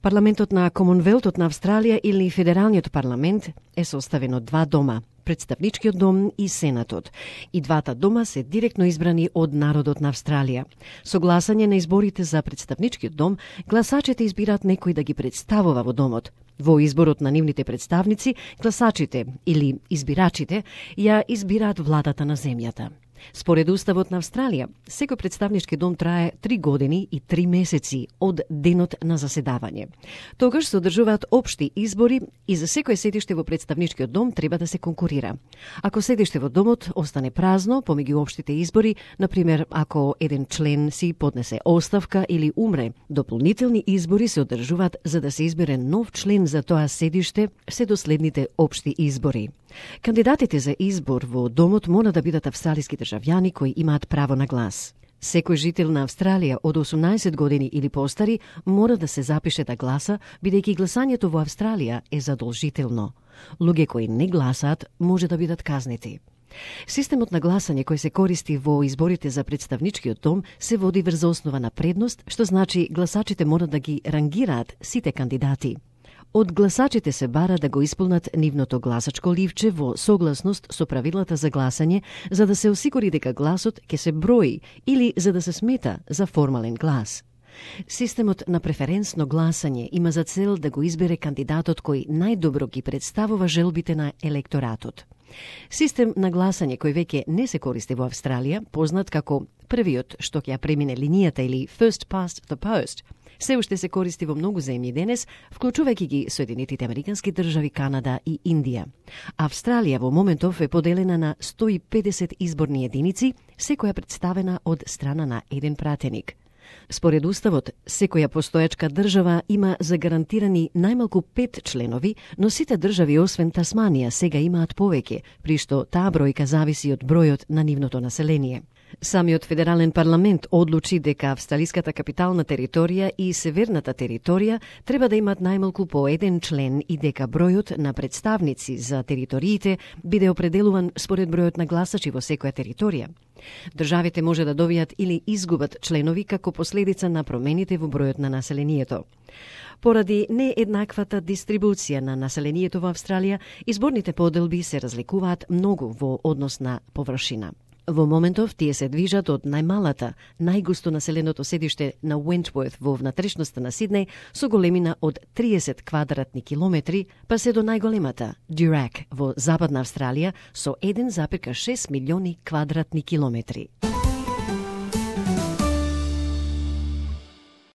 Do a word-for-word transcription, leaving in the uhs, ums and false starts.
Парламентот на Комонвелтот на Австралија или Федералниот парламент е составен од два дома, Представничкиот дом и Сенатот. И двата дома се директно избрани од народот на Австралија. Со гласање на изборите за Представничкиот дом, гласачите избираат некој да ги представува во домот. Во изборот на нивните представници, гласачите или избирачите ја избираат владата на земјата. Според Уставот на Австралија, секој представнички дом трае три години и три месеци од денот на заседавање. Тогаш се одржуваат општи избори и за секое седиште во представничкиот дом треба да се конкурира. Ако седиште во домот остане празно помеѓу општите избори, например, ако еден член си поднесе оставка или умре, дополнителни избори се одржуваат за да се избере нов член за тоа седиште се до следните општи избори. Кандидатите за избор во домот мора да бидат австралиски државјани кои имаат право на глас. Секој жител на Австралија од осумнаесет години или постари мора да се запише да гласа, бидејќи гласањето во Австралија е задолжително. Луѓе кои не гласаат може да бидат казнети. Системот на гласање кој се користи во изборите за представничкиот дом се води врз основа на предност, што значи гласачите мора да ги рангираат сите кандидати. Од гласачите се бара да го исполнат нивното гласачко ливче во согласност со правилата за гласање, за да се осигури дека гласот ќе се брои или за да се смета за формален глас. Системот на преференсно гласање има за цел да го избере кандидатот кој најдобро ги представува желбите на електоратот. Систем на гласање кој веќе не се користи во Австралија, познат како првиот што ќе ја премине линијата или first past the post, се уште се користи во многу земји денес, вклучувајќи ги Соединетите Американски држави, Канада и Индија. Австралија во моментов е поделена на сто и педесет изборни единици, секоја представена од страна на еден пратеник. Според Уставот, секоја постојачка држава има загарантирани најмалку пет членови, но сите држави освен Тасманија сега имаат повеќе, при што таа бројка зависи од бројот на нивното население. Самиот Федерален парламент одлучи дека австралиската капитална територија и северната територија треба да имат најмалку по еден член и дека бројот на представници за териториите биде определуван според бројот на гласачи во секоја територија. Државите може да добијат или изгубат членови како последица на промените во бројот на населението. Поради нееднаквата дистрибуција на населението во Австралија, изборните поделби се разликуваат многу во однос на површина. Во моментов тие се движат од најмалата, најгусто населеното седиште на Wentworth во внатрешноста на Сиднеј со големина од триесет квадратни километри, па се до најголемата Durack во Западна Австралија со еден зарез и шест милиони квадратни километри.